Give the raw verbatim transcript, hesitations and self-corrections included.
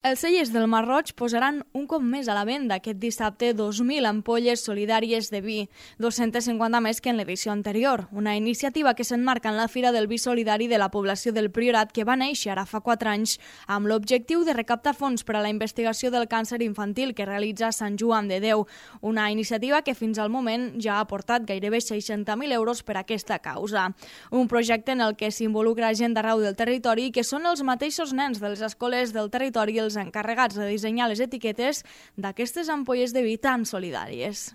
Els cellers del Mar Roig posaran un cop més a la venda aquest dissabte dos mil ampolles solidàries de vi, dos-centes cinquanta més que en l'edició anterior, una iniciativa que s'emmarca en la Fira del Vi Solidari de la població del Priorat que va néixer ara fa quatre anys amb l'objectiu de recaptar fons per a la investigació del càncer infantil que realitza Sant Joan de Déu, una iniciativa que fins al moment ja ha aportat gairebé seixanta mil euros per a aquesta causa. Un projecte en el que s'involucra gent d'arreu del territori i que són els mateixos nens de les escoles del territori els encarregats de dissenyar les etiquetes d'aquestes ampolles de vi tan solidàries.